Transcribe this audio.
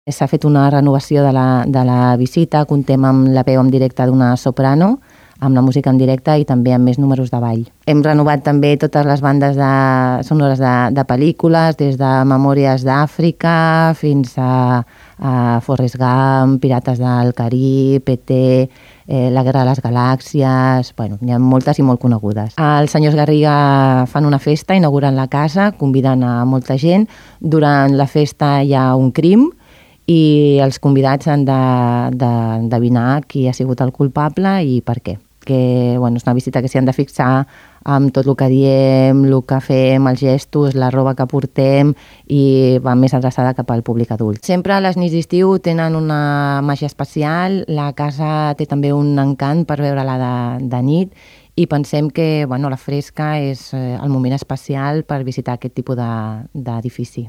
S'ha fet una renovació de la visita, comptem amb la veu en directe d'una soprano, amb la música en directe i també amb més números de ball. Hem renovat també totes les bandes sonores de pel·lícules, des de Memòries d'Àfrica fins a Forrest Gump, Pirates del Carib, E.T., La Guerra de les Galàxies... Bueno, n'hi ha moltes i molt conegudes. Els senyors Garriga fan una festa, inauguren la casa, conviden a molta gent. Durant la festa hi ha un crim i els convidats han d'endevinar qui ha sigut el culpable i per què. Que, bueno, és una visita que s'hi han de fixar amb tot el que diem, el que fem, els gestos, la roba que portem i va més adreçada cap al públic adult. Sempre les nits d'estiu tenen una màgia especial, la casa té també un encant per veure-la de nit i pensem que la fresca és el moment especial per visitar aquest tipus d'edifici.